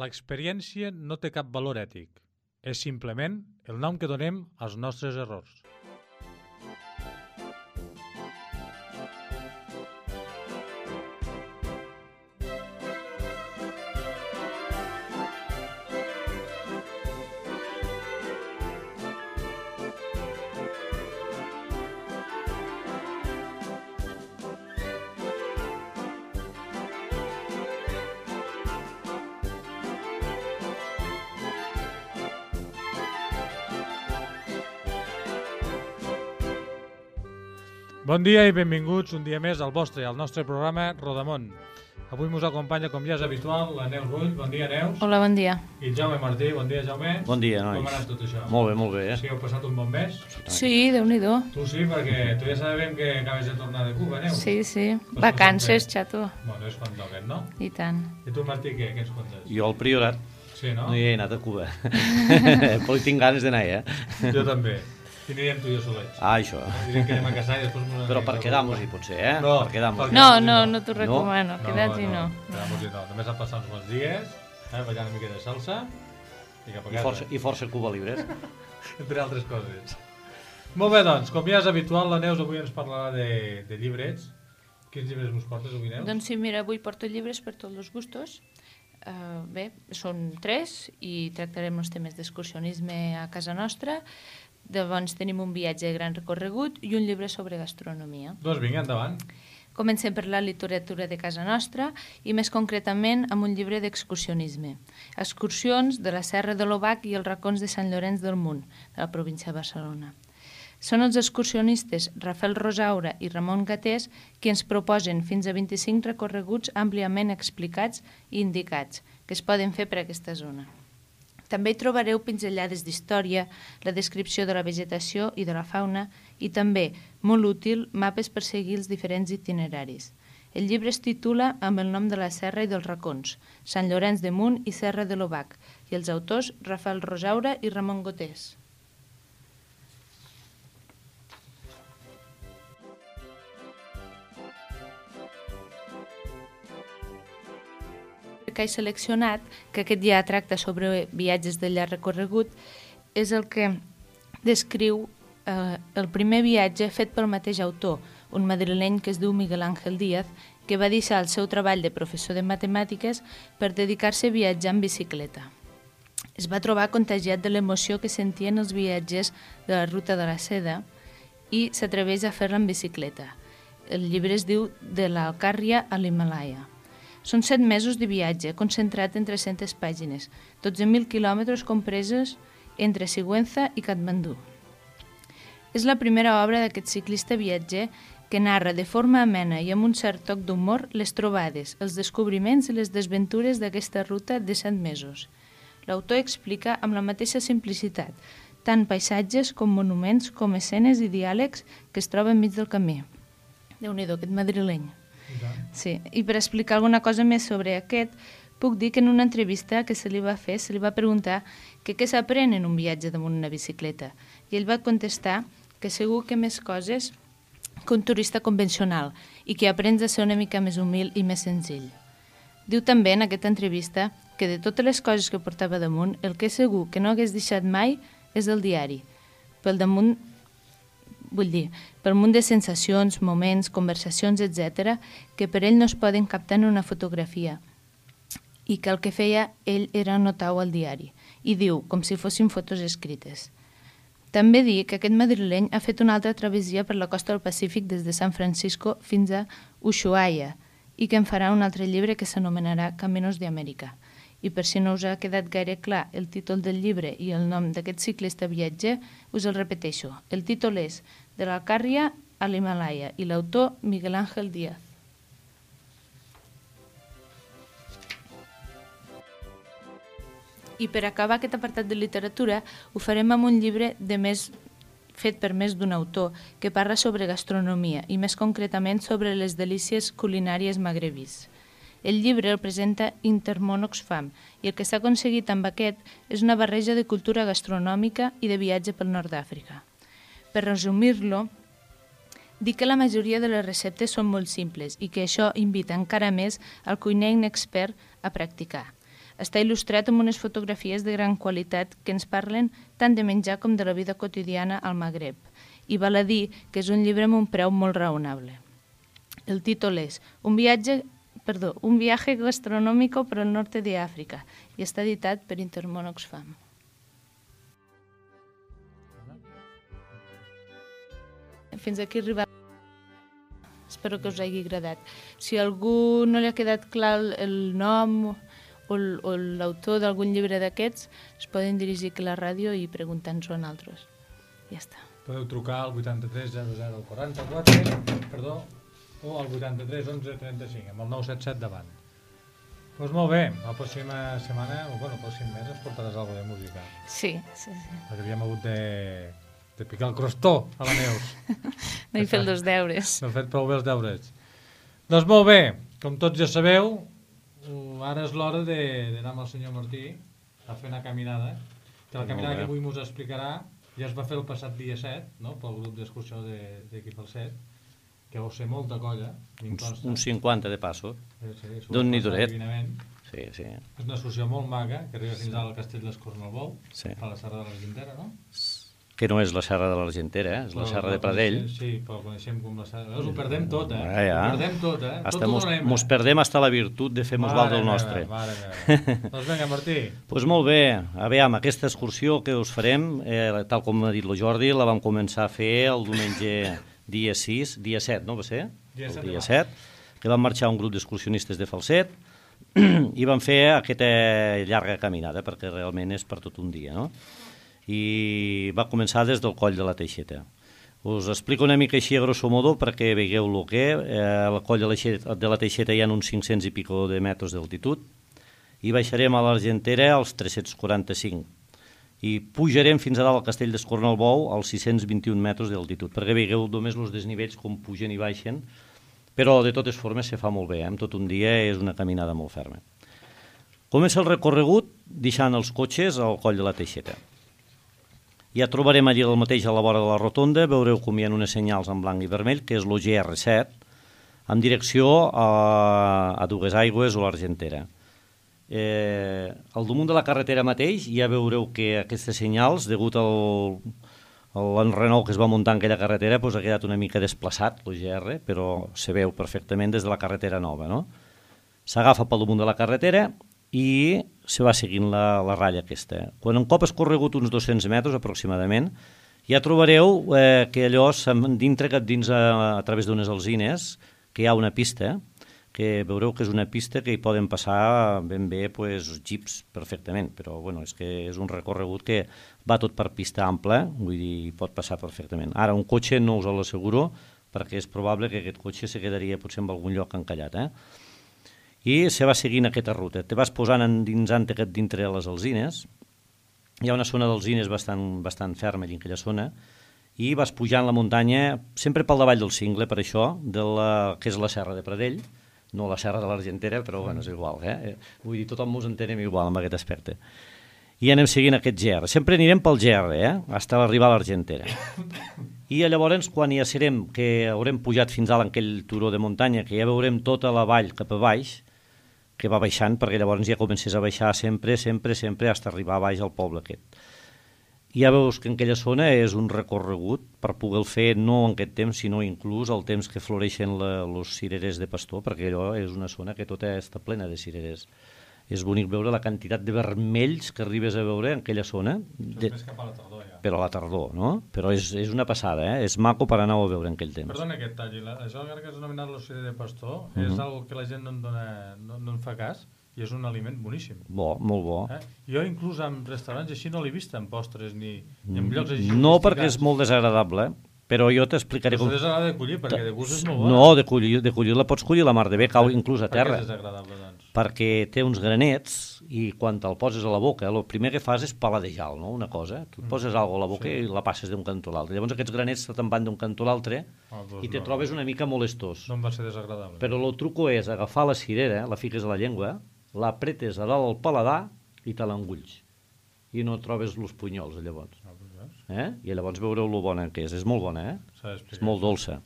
L'experiència no té cap valor ètic. És simplement el nom que donem als nostres errors. Bon dia i benvinguts un dia més al vostre i al nostre programa Rodamont. Avui ens acompanya, com ja és habitual, la Neus Rull. Bon dia, Neus. Hola, bon dia. I el Jaume Martí. Bon dia, Jaume. Bon dia, nois. Com ha anat tot això? Molt bé. Sí, heu passat un bon mes? Sí, Déu-n'hi-do. Tu sí, perquè tu ja sabem que acabes de tornar de Cuba, Neus. Sí. Vacances, xato. Bueno, és quan toquen, no? I tant. I tu, Martí, què ens contes? Jo al Priorat Sí, no? no hi he anat a Cuba. Però hi tinc ganes d'anar, Jo també. I anirem tu i jo solets. Això. Direm que anem a casar i després... Però per quedar-nos-hi, potser, No, per quedar-nos-hi. No t'ho recomano, queda't-hi no. Quedar-nos-hi no. Només han passat uns bons dies, ballant una mica de salsa i cap a casa. I força Cuba Libres. Entre altres coses. Molt bé, doncs, com ja és habitual, la Neus avui ens parlarà de llibrets. Quins llibres us portes avui, Neus? Doncs sí, mira, avui porto llibres per tots els gustos. Bé, són 3 i tractarem els temes d'excursionisme a casa nostra. Llavors tenim un viatge de gran recorregut i un llibre sobre gastronomia. Doncs vinga, endavant. Comencem per la literatura de casa nostra i més concretament amb un llibre d'excursionisme. Excursions de la Serra de l'Obac i els racons de Sant Llorenç del Munt, de la província de Barcelona. Són els excursionistes Rafael Rosaura i Ramon Gatés qui ens proposen fins a 25 recorreguts àmpliament explicats i indicats que es poden fer per aquesta zona. També hi trobareu pinzellades d'història, la descripció de la vegetació i de la fauna i també, molt útil, mapes per seguir els diferents itineraris. El llibre es titula amb el nom de la serra i dels racons, Sant Llorenç de Munt i Serra de l'Obac, i els autors Rafael Rosaura i Ramon Gatés. Que he seleccionat, que aquest ja tracta sobre viatges de llarg recorregut, és el que descriu el primer viatge fet pel mateix autor, un madrileny que es diu Miguel Ángel Díaz, que va deixar el seu treball de professor de matemàtiques per dedicar-se a viatjar en bicicleta. Es va trobar contagiat de l'emoció que sentien els viatgers de la ruta de la seda i s'atreveix a fer-la en bicicleta. El llibre es diu De l'Alcàrria a l'Himàlaia. Són 7 mesos de viatge, concentrat en 300 pàgines, 12.000 quilòmetres compreses entre Sigüenza i Katmandú. És la primera obra d'aquest ciclista viatger que narra de forma amena i amb un cert toc d'humor les trobades, els descobriments i les desventures d'aquesta ruta de 7 mesos. L'autor explica amb la mateixa simplicitat, tant paisatges com monuments, com escenes i diàlegs que es troben enmig del camí. Déu-n'hi-do, aquest madrileny. Sí, i per explicar alguna cosa més sobre aquest, puc dir que en una entrevista que se li va fer, se li va preguntar que què s'aprèn en un viatge damunt una bicicleta. I ell va contestar que segur que més coses que un turista convencional i que aprens a ser una mica més humil i més senzill. Diu també en aquesta entrevista que de totes les coses que portava damunt, el que és segur que no hagués deixat mai és el diari. Pel munt de sensacions, moments, conversacions, etc., que per ell no es poden captar en una fotografia i que el que feia ell era anotar-ho al diari. I diu, com si fossin fotos escrites. També dir que aquest madrileny ha fet una altra travessia per la costa del Pacífic des de San Francisco fins a Ushuaia i que en farà un altre llibre que s'anomenarà Caminos de Amèrica. I per si no us ha quedat gaire clar el títol del llibre i el nom d'aquest ciclista viatger, us el repeteixo. El títol és De l'Alcàrria a l'Himàlaia i l'autor Miguel Ángel Díaz. I per acabar aquest apartat de literatura ho farem amb un llibre fet per més d'un autor que parla sobre gastronomia i més concretament sobre les delícies culinàries magrebís. El llibre el presenta Intermón Oxfam i el que s'ha aconseguit amb aquest és una barreja de cultura gastronòmica i de viatge pel nord d'Àfrica. Per resumir-lo, dic que la majoria de les receptes són molt simples i que això invita encara més al cuiner inexpert a practicar. Està il·lustrat amb unes fotografies de gran qualitat que ens parlen tant de menjar com de la vida quotidiana al Magreb. I val a dir que és un llibre amb un preu molt raonable. El títol és Un viaje gastronómico por el norte de África i està editat per Intermón Oxfam. Fins aquí arriba. Espero que us hagi agradat. Si a algú no li ha quedat clar el nom o l'autor d'algun llibre d'aquests, es poden dirigir a la ràdio i preguntar-nos-ho a nosaltres. Ja està. Podeu trucar al 83 00 44, perdó, o al 83 11 35, amb el 977 davant. Doncs molt bé, la pròxima setmana, o bueno, el pròxim mes ens portaràs alguna de música. Sí. Perquè havíem hagut de picar el crostó a la Neus. No he fet els deures. No he fet prou bé els deures. Doncs molt bé, com tots ja sabeu, ara és l'hora d'anar amb el senyor Martí a fer una caminada, que la caminada que avui ens explicarà ja es va fer el passat dia 7, no?, pel grup d'excursió d'Equip al 7, que vau ser molta colla. Uns 50 de passo, sí, d'un nidoret. Sí. És una excursió molt maca, que arriba fins al Castell d'Escornalbou, sí. a la Serra de l'Argentera, no? Que no és la Serra de l'Argentera, és la Serra de Pradell. Sí, però ho coneixem com la Serra. Ho perdem tot, Ho perdem tot, Mos perdem hasta la virtut de fer-nos val del nostre. Mare meva. Doncs vinga, Martí. Doncs molt bé. A veure, aquesta excursió que us farem, tal com ha dit el Jordi, la vam començar a fer el diumenge dia 7, no va ser? Dia 7, que vam marxar un grup d'excursionistes de Falset i vam fer aquesta llarga caminada, perquè realment és per tot un dia, no? I va començar des del coll de la Teixeta. Us explico una mica així a grosso modo perquè veieu el que al coll de la Teixeta hi ha uns 500 i pico de metres d'altitud i baixarem a l'Argentera als 345 i pujarem fins a dalt al Castell d'Escornalbou als 621 metres d'altitud, perquè veieu només els desnivells com pugen i baixen, però de totes formes se fa molt bé, en tot un dia és una caminada molt ferma. Comença el recorregut deixant els cotxes al coll de la Teixeta. Ja trobarem allí el mateix a la vora de la rotonda, veureu com hi ha unes senyals en blanc i vermell, que és el GR7, en direcció a Duguesaigües o l'Argentera. Al damunt de la carretera mateix ja veureu que aquestes senyals, degut a l'enrenou que es va muntar en aquella carretera, ha quedat una mica desplaçat, el GR, però se veu perfectament des de la carretera nova, no? S'agafa pel damunt de la carretera i se va seguint la ratlla aquesta. Quan un cop has corregut uns 200 metres aproximadament, ja trobareu que allò dintre dins a través d'unes alzines, que hi ha una pista, que veureu que és una pista que hi poden passar ben bé jeeps perfectament, però bueno, és que és un recorregut que va tot per pista ampla, vull dir, hi pot passar perfectament. Ara, un cotxe no us l'asseguro, perquè és probable que aquest cotxe se quedaria potser en algun lloc encallat, i se va seguint aquesta ruta. Te vas posant endinsant dintre les alzines, hi ha una zona d'alzines bastant ferma allà en aquella zona, i vas pujant la muntanya, sempre pel davall del cingle, per això, que és la Serra de Pradell, no la Serra de l'Argentera, però bueno, és igual, vull dir, tothom ens entenem igual amb aquest aspecte. I anem seguint aquest GR. Sempre anirem pel GR, fins a arribar a l'Argentera. I llavors, quan ja serem, que haurem pujat fins a aquell turó de muntanya, que ja veurem tota la vall cap a baix, que va baixant, perquè llavors ja comences a baixar sempre, fins a arribar a baix al poble aquest. I ja veus que en aquella zona és un recorregut per poder fer no en aquest temps, sinó inclús el temps que floreixen els cirerers de pastor, perquè allò és una zona que tota està plena de cirerers. És bonic veure la quantitat de vermells que arribes a veure en aquella zona. Més cap a la tardor, ja. Però a la tardor, no? Però és una passada, és maco per anar a veure en aquell temps. Perdona aquest tall, això que has anomenat l'ocell de pastor és algo que la gent no en fa cas i és un aliment boníssim. Bo, molt bo. Jo inclús en restaurants així no l'he vist en postres ni en llocs així. No, perquè és molt desagradable, però jo t'explicaré com... Però és desagradable de collir, perquè de gust és molt bo. No, de collir la pots collir la mar de bé, cau inclús a terra. Per què és desagradable, doncs? Perquè té uns granets i quan te'l poses a la boca, el primer que fas és paladejar, no? Una cosa. Tu poses alguna cosa a la boca i la passes d'un cantó a l'altre. Llavors aquests granets te'n van d'un cantó a l'altre i te trobes una mica molestós. No em va ser desagradable. Però el truco és agafar la cirera, la fiques a la llengua, l'apretes a dalt al paladar i te l'engulls. I no trobes els punyols, llavors. I llavors veureu lo bona que és. És molt bona, És molt dolça.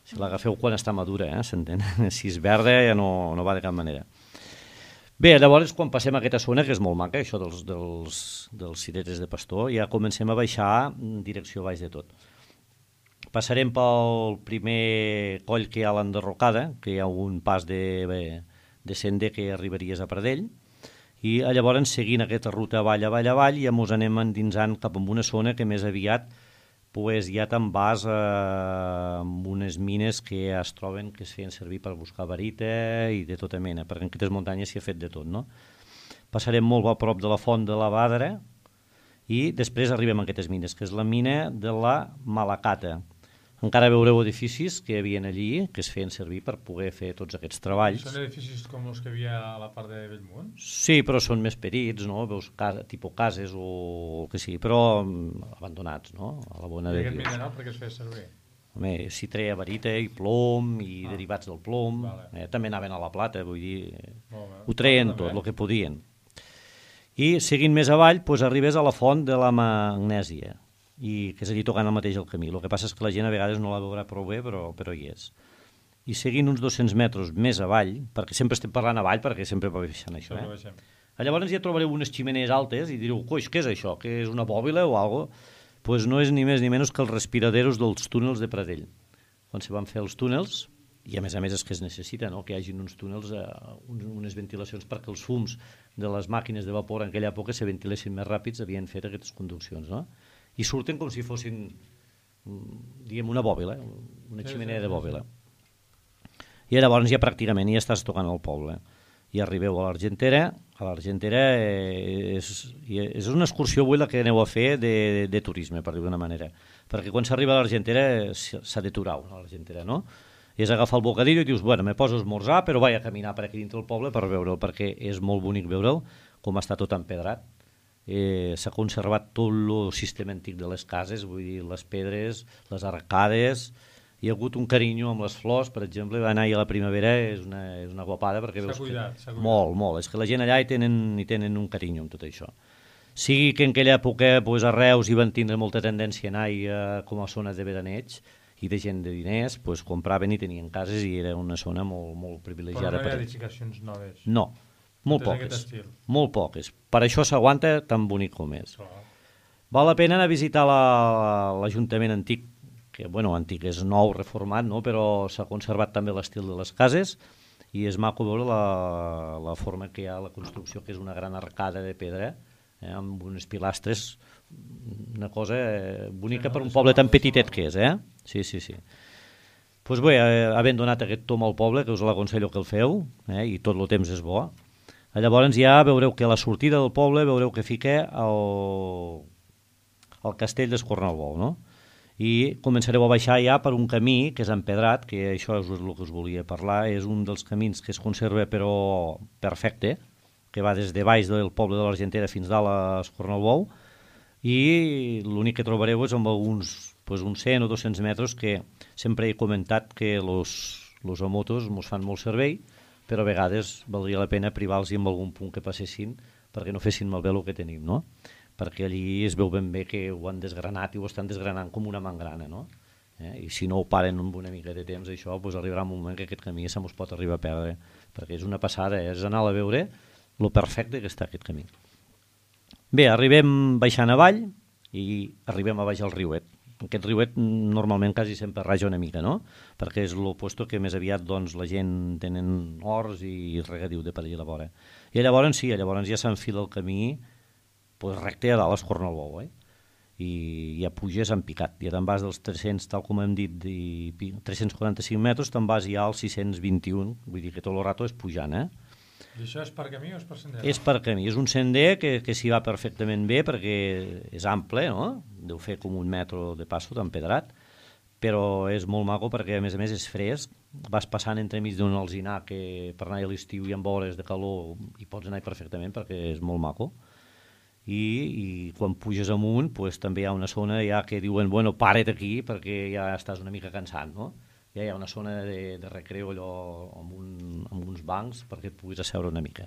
Si l'agafeu quan està madura, s'entén? Si és verda ja no va de cap manera. Bé, llavors, quan passem a aquesta zona, que és molt maca, això dels cireres de pastor, ja comencem a baixar en direcció baix de tot. Passarem pel primer coll que hi ha a l'enderrocada, que hi ha un pas de sender que arribaries a Pradell, i llavors, seguint aquesta ruta avall, ja mos anem endinsant cap a una zona que més aviat ja te'n vas amb unes mines que es troben que es feien servir per buscar barita i de tota mena, perquè en aquestes muntanyes s'hi ha fet de tot, no? Passarem molt a prop de la font de la Bàdara i després arribem a aquestes mines, que és la mina de la Malacata. Encara veureu edificis que hi havia allí, que es feien servir per poder fer tots aquests treballs. Són edificis com els que hi havia a la part de Bellmunt? Sí, però són més petits, no? Veus tipus cases o el que sigui, però abandonats, no? A la bona I de aquest Déu. mineral per què es feia servir? Home, s'hi treia barita i plom i derivats del plom, vale. També anaven a la plata, vull dir, Molt bé. ho treien tot, el que podien. I seguint més avall, doncs, arribes a la font de la Magnèsia, i que és allí tocant el mateix el camí. El que passa és que la gent a vegades no la veurà prou bé, però hi és. I seguint uns 200 metres més avall, perquè sempre estem parlant avall, perquè sempre va baixant això, llavors ja trobareu unes ximenees altes i direu, coix, què és això? Que és una bòbila o alguna cosa? Doncs no és ni més ni menys que els respiraderos dels túnels de Pradell. Quan se van fer els túnels, i a més és que es necessita, no? Que hi hagi uns túnels, unes ventilacions perquè els fums de les màquines de vapor en aquella època se ventilessin més ràpids, havien fet aquestes conduccions, no? I surten com si fossin, diguem, una bòbila, una ximenea de bòbila. I llavors ja pràcticament ja estàs tocant el poble. I arribeu a l'Argentera. A l'Argentera és una excursió avui la que aneu a fer de turisme, per dir-ho d'una manera. Perquè quan s'arriba a l'Argentera s'ha d'aturar a l'Argentera, no? I és agafar el bocadillo i dius, bueno, me poso a esmorzar, però vaig a caminar per aquí dintre el poble per veure'l, perquè és molt bonic veure'l, com està tot empedrat. S'ha conservat tot el sistema antic de les cases, vull dir, les pedres, les arcades, hi ha hagut un carinyo amb les flors, per exemple, va anar a la primavera, és una guapada, perquè veus que... Molt, és que la gent allà hi tenen un carinyo amb tot això. Sigui que en aquella època a Reus hi van tindre molta tendència a anar com a zona de veraneig, i de gent de diners, compraven i tenien cases i era una zona molt privilegiada. Però no hi ha edificacions noves? No. Molt poques. Per això s'aguanta tan bonic com és. Val la pena anar a visitar l'Ajuntament antic, que antic és nou, reformat, no? Però s'ha conservat també l'estil de les cases i és maco veure la forma que hi ha a la construcció, que és una gran arcada de pedra, amb unes pilastres, una cosa bonica per un poble tan petitet que és, Sí. Doncs bé, havent donat aquest tom al poble, que us l'aconsello que el feu, i tot el temps és bo, llavors ja veureu que a la sortida del poble veureu que fica el castell d'Escornalbou, no? I començareu a baixar ja per un camí que és empedrat, que això és el que us volia parlar, és un dels camins que es conserva però perfecte, que va des de baix del poble de l'Argentera fins dalt a Escornalbou, i l'únic que trobareu és amb uns 100 o 200 metres que sempre he comentat que los motos mos fan molt servei, però a vegades valdria la pena privar-los en algun punt que passessin perquè no fessin malbé el que tenim, no? Perquè allí es veu ben bé que ho han desgranat i ho estan desgranant com una mangrana, no? I si no ho paren amb una mica de temps, això arribarà un moment que aquest camí se mos pot arribar a perdre, perquè és una passada, és anar a veure lo perfecte que està aquest camí. Bé, arribem baixant avall i arribem a baix al riuet. Aquest riuet normalment quasi sempre raja una mica, no? Perquè és l'oposto que més aviat la gent tenen horts i regadiu de per allà a la vora. I llavors ja s'enfila el camí recte a dalt a Escornalbou, i ja puges en picat. Ja te'n vas dels 300, tal com hem dit, 345 metres, te'n vas ja als 621, vull dir que tot el rato és pujant, I això és per camí o és per sender? És per camí, és un sender que s'hi va perfectament bé perquè és ample, no? Deu fer com 1 metre de passo d'empedrat, però és molt maco perquè a més és fresc, vas passant entremig d'un alzinar que per anar a l'estiu i amb hores de calor hi pots anar perfectament perquè és molt maco, i quan puges amunt també hi ha una zona ja que diuen, para't aquí perquè ja estàs una mica cansat, no? Ja hi ha una zona de recreu allò amb uns bancs perquè et puguis asseure una mica.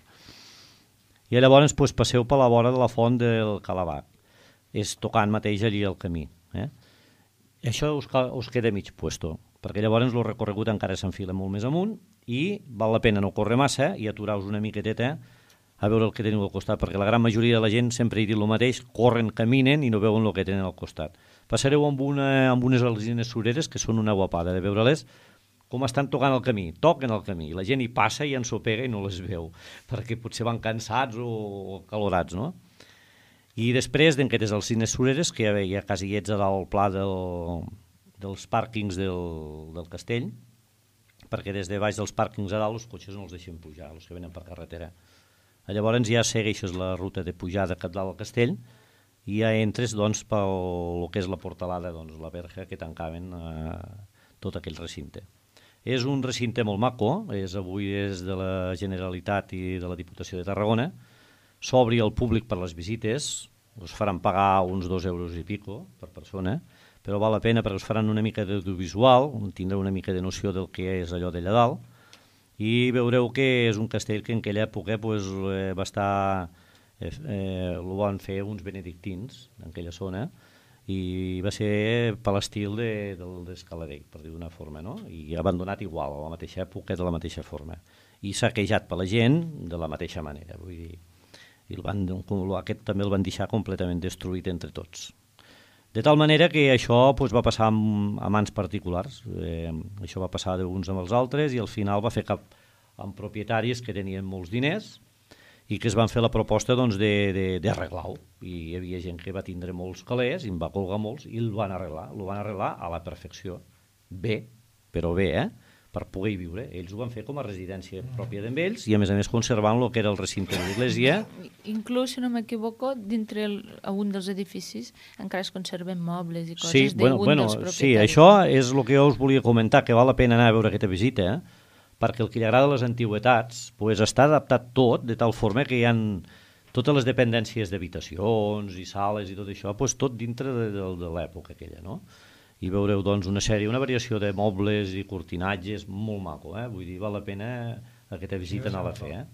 I llavors passeu per la vora de la font del Calabac. És tocant mateix allí el camí. Això us queda mig puesto, perquè llavors el recorregut encara s'enfila molt més amunt i val la pena no córrer massa i aturar-vos una miqueteta a veure el que teniu al costat, perquè la gran majoria de la gent sempre hi diu el mateix, corren, caminen i no veuen el que tenen al costat. Passareu amb unes alzines sureres que són una guapada de veure-les com estan tocant el camí, toquen el camí, la gent hi passa i ensopega i no les veu, perquè potser van cansats o calorats, no? I després d'aquestes alzines sureres, que hi ha casillets a dalt al pla dels pàrquings del castell, perquè des de baix dels pàrquings a dalt els cotxes no els deixen pujar, els que venen per carretera. Llavors ja segueixes la ruta de pujada cap dalt al castell i ja entres doncs, pel que és la portalada, doncs, la verja que tancaven tot aquell recinte. És un recinte molt maco, avui és de la Generalitat i de la Diputació de Tarragona, s'obri al públic per les visites, us faran pagar uns 2 euros i pico per persona, però val la pena perquè us faran una mica d'audiovisual, tindreu una mica de noció del que és allò d'allà dalt, i veureu que és un castell que en aquella època va estar, el van fer uns benedictins en aquella zona, i va ser per l'estil d'Escaladell, per dir d'una forma, no? I abandonat igual, a la mateixa època, de la mateixa forma. I saquejat per la gent de la mateixa manera, vull dir, i aquest també el van deixar completament destruït entre tots. De tal manera que això va passar a mans particulars, això va passar d'uns amb els altres i al final va fer cap amb propietaris que tenien molts diners i que es van fer la proposta d'arreglar-ho. I hi havia gent que va tindre molts calés i en va colgar molts i el van arreglar a la perfecció. Bé, però bé, per poder viure. Ells ho van fer com a residència pròpia d'ells i a més conservant el que era el recinte de l'església. Inclús, si no m'equivoco, dintre un dels edificis encara es conserven mobles i coses d'un dels propietaris. Sí, això és el que jo us volia comentar, que val la pena anar a veure aquesta visita, perquè el que li agrada les antigüetats està adaptat tot de tal forma que hi ha totes les dependències d'habitacions i sales i tot això, tot dintre de l'època aquella, no? I veureu doncs una variació de mobles i cortinatges molt maco, vull dir, val la pena aquesta visita anar-la a fer.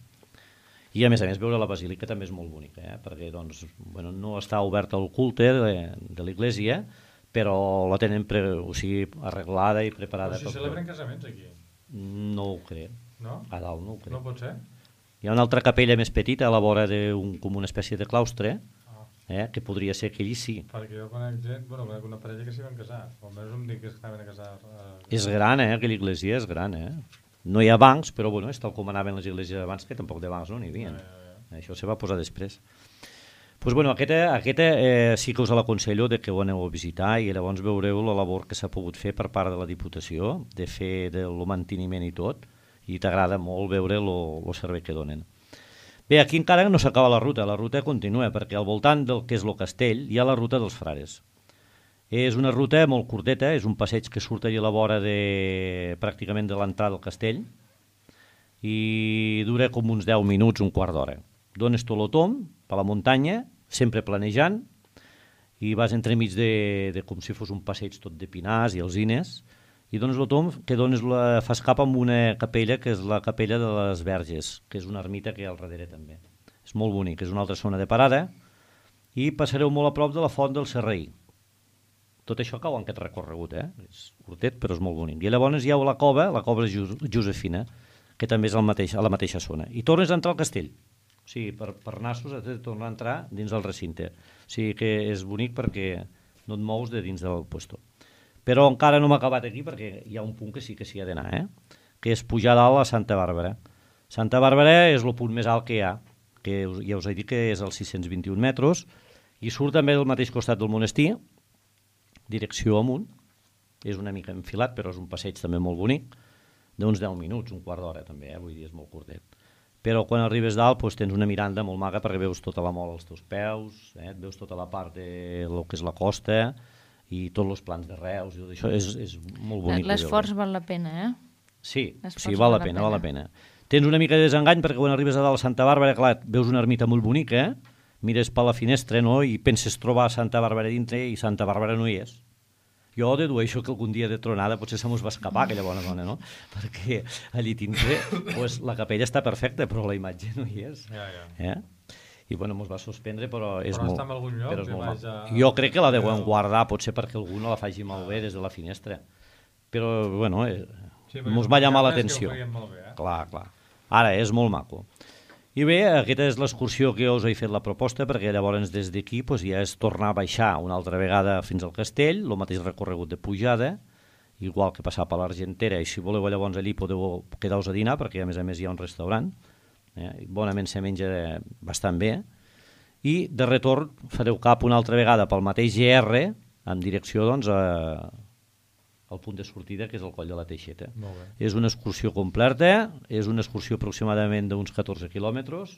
I a més veure la basílica també és molt bonica, perquè doncs, no està oberta al culte de l'església, però la tenen arreglada i preparada. Però si celebren casaments aquí? No ho crec. No? A dalt no ho crec. No pot ser? Hi ha una altra capella més petita a la vora com una espècie de claustre, que podria ser que allí sí. Perquè jo conec gent, conec una parella que s'hi van casar, o almenys em dic que estaven a casar. És gran, aquella església és gran, No hi ha bancs, però és tal com anaven les esglésies abans, que tampoc de bancs no n'hi havia. Això se va posar després. Doncs aquesta sí que us l'aconsello que ho aneu a visitar i llavors veureu la labor que s'ha pogut fer per part de la Diputació, de fer el manteniment i tot, i t'agrada molt veure el servei que donen. Bé, aquí encara no s'acaba la ruta continua, perquè al voltant del que és el castell hi ha la ruta dels frares. És una ruta molt curteta, és un passeig que surt allà a la vora pràcticament de l'entrada del castell i dura com uns 10 minuts, un quart d'hora. Dones tot el tomb per la muntanya, sempre planejant, i vas entremig com si fos un passeig tot de pinars i alzines, i dones el tomb que fas cap amb una capella que és la capella de les Verges, que és una ermita que hi ha al darrere també. És molt bonic, és una altra zona de parada i passareu molt a prop de la font del Serraí. Tot això cau en aquest recorregut, és curtet però és molt bonic. I llavors hi ha la cova Josefina, que també és a la mateixa zona. I tornes a entrar al castell, o sigui, per nassos has de tornar a entrar dins del recinte. O sigui que és bonic perquè no et mous de dins del puesto. Però encara no m'ha acabat aquí perquè hi ha un punt que sí que s'hi ha d'anar, que és pujar dalt a Santa Bàrbara. Santa Bàrbara és el punt més alt que hi ha, que ja us he dit que és als 621 metres, i surt també del mateix costat del monestir, direcció amunt, és una mica enfilat, però és un passeig també molt bonic, d'uns 10 minuts, un quart d'hora també, vull dir, és molt curtet. Però quan arribes dalt tens una miranda molt maca perquè veus tota la mola als teus peus, et veus tota la part de lo que és la costa, i tots els plans de Reus, i tot això és molt bonic. L'esforç val la pena, Sí, val la pena. Tens una mica de desengany perquè quan arribes a dalt a Santa Bàrbara, clar, veus una ermita molt bonica, mires per la finestra i penses trobar Santa Bàrbara dintre i Santa Bàrbara no hi és. Jo dedueixo que algun dia de tronada potser se mos va escapar aquella bona dona, no? Perquè allí dintre la capella està perfecta, però la imatge no hi és. I mos va suspendre, però és molt... Però està en algun lloc? Jo crec que la deuen guardar, potser perquè algú no la faci malbé des de la finestra. Però, mos va llamar l'atenció. Clar. Ara, és molt maco. I bé, aquesta és l'excursió que us he fet la proposta, perquè llavors des d'aquí ja és tornar a baixar una altra vegada fins al castell, el mateix recorregut de pujada, igual que passar per l'Argentera, i si voleu llavors allí podeu quedar-vos a dinar, perquè a més hi ha un restaurant, bonament se menja bastant bé, i de retorn fareu cap una altra vegada pel mateix GR, en direcció doncs, al punt de sortida, que és el Coll de la Teixeta. És una excursió completa, és una excursió aproximadament d'uns 14 quilòmetres,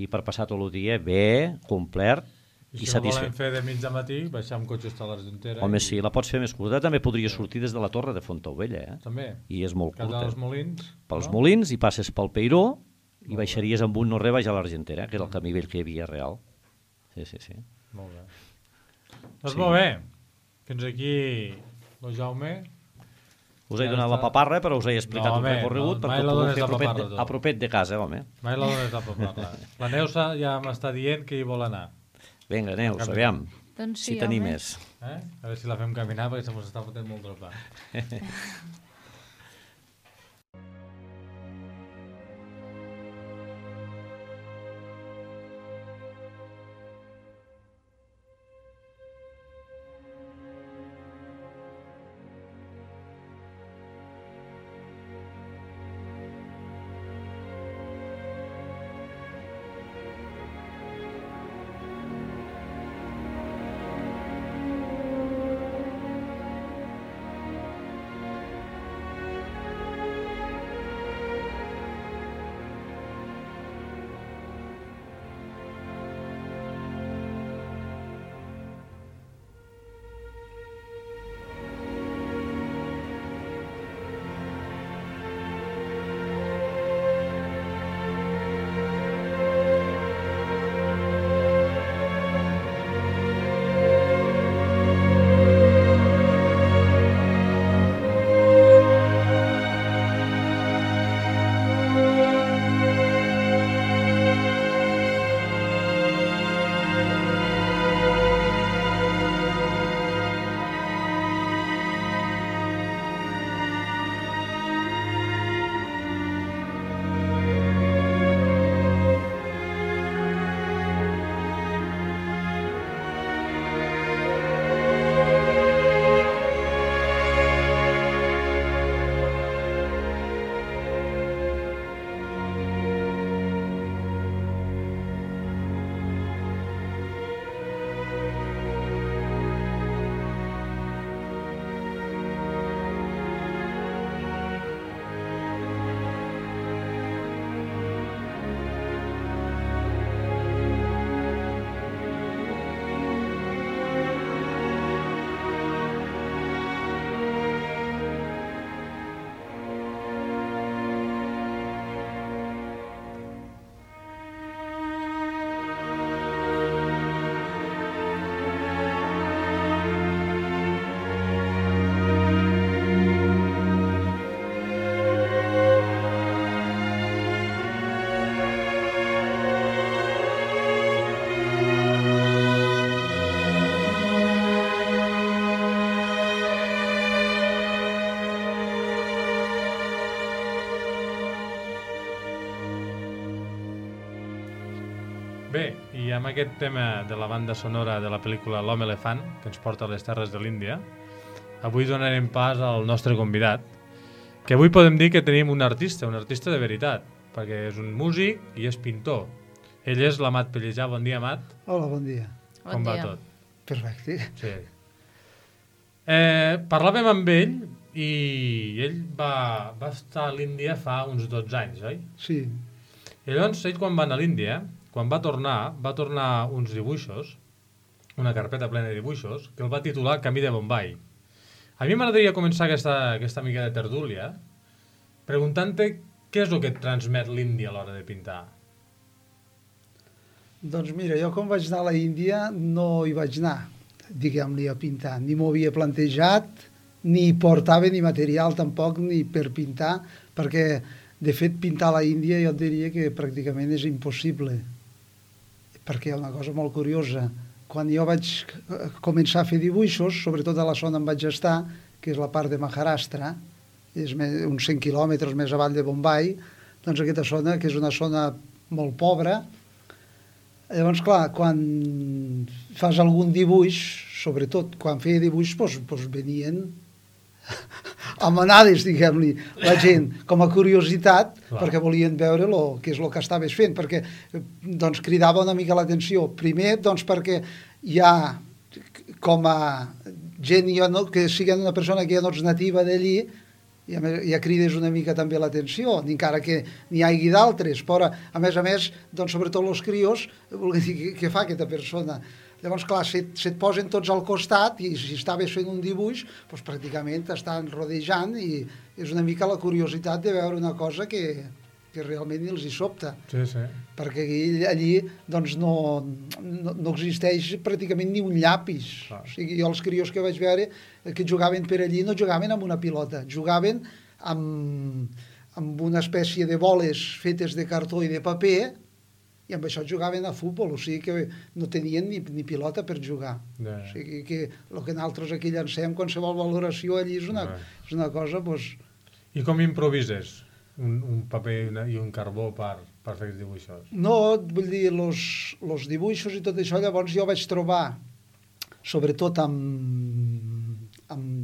i per passar tot el dia bé, complet i satisfet. Si ho volem fer de mig de matí, baixar amb cotxe a l'Argentera. Home, sí, la pots fer més curta. També podria sortir des de la Torre de Fontaubella. També? I és molt curta. Dels Molins? Pels Molins, i passes pel Peiró, i baixaries amb un no res baix a l'Argentera, que és el camí vell que hi havia real. Sí. Molt bé. Doncs molt bé. Fins aquí... el Jaume... Us he donat la paparra, però us he explicat un recorregut perquè ho podeu fer a propet de casa, home. Mai la dones la paparra. La Neus ja m'està dient que hi vol anar. Vinga, Neus, aviam, doncs sí, si t'animes. A veure si la fem caminar, perquè se mos està fotent molt dropa. Bé, i amb aquest tema de la banda sonora de la pel·lícula L'Home Elefant, que ens porta a les terres de l'Índia, avui donarem pas al nostre convidat, que avui podem dir que tenim un artista de veritat, perquè és un músic i és pintor. Ell és l'Amat Pellejà. Bon dia, Amat. Hola, bon dia. Com va tot? Perfecte. Sí. Parlàvem amb ell i ell va estar a l'Índia fa uns 12 anys, oi? Sí. I llavors, ell quan va anar a l'Índia, quan va tornar uns dibuixos, una carpeta plena de dibuixos, que el va titular Camí de Bombai. A mi m'agradaria començar aquesta mica de tertúlia preguntant-te què és el que et transmet l'Índia a l'hora de pintar. Doncs mira, jo quan vaig anar a la Índia no hi vaig anar, diguem-li, a pintar. Ni m'ho havia plantejat, ni portava ni material tampoc, ni per pintar, perquè, de fet, pintar a la Índia jo et diria que pràcticament és impossible. Perquè hi ha una cosa molt curiosa. Quan jo vaig començar a fer dibuixos, sobretot a la zona on vaig estar, que és la part de Maharashtra, és uns 100 quilòmetres més avall de Bombai, doncs aquesta zona, que és una zona molt pobre. Llavors, clar, quan fas algun dibuix, sobretot quan feia dibuix, doncs venien a manades, diguem-li, la gent, com a curiositat, perquè volien veure què és el que estaves fent, perquè doncs, cridava una mica l'atenció. Primer, doncs, perquè hi ha, com a gent que sigui una persona que ja no és nativa d'allí, ja crides una mica també l'atenció, encara que n'hi hagi d'altres, però a més, doncs, sobretot els crios, volen dir, què fa aquesta persona? Llavors, clar, se't posen tots al costat i si estaves fent un dibuix, doncs pràcticament t'estan rodejant i és una mica la curiositat de veure una cosa que realment els hi sobta. Sí, sí. Perquè allí doncs, no existeix pràcticament ni un llapis. O sigui, jo els crios que vaig veure que jugaven per allí no jugaven amb una pilota, jugaven amb una espècie de boles fetes de cartó i de paper i amb això jugaven a futbol, o sigui que no tenien ni pilota per jugar. O sigui que el que nosaltres aquí llancem, qualsevol valoració allí és una cosa... Doncs... I com improvises un paper i un carbó per fer aquests dibuixos? No, vull dir, els dibuixos i tot això, llavors jo vaig trobar, sobretot amb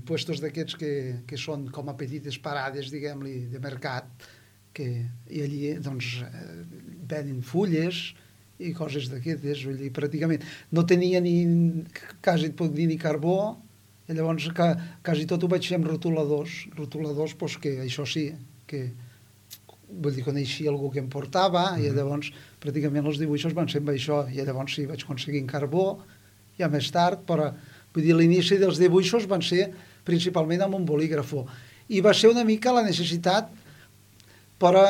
puestos d'aquests que són com a petites parades, diguem-li, de mercat, i allí doncs venen fulles i coses d'aquestes, vull dir, pràcticament no tenia quasi et puc dir ni carbó, i llavors quasi tot ho vaig fer amb rotuladors, doncs que això sí, que vull dir, coneixia algú que em portava, i llavors pràcticament els dibuixos van ser amb això, i llavors sí, vaig aconseguir en carbó, ja més tard, però vull dir, l'inici dels dibuixos van ser principalment amb un bolígrafo, i va ser una mica la necessitat, però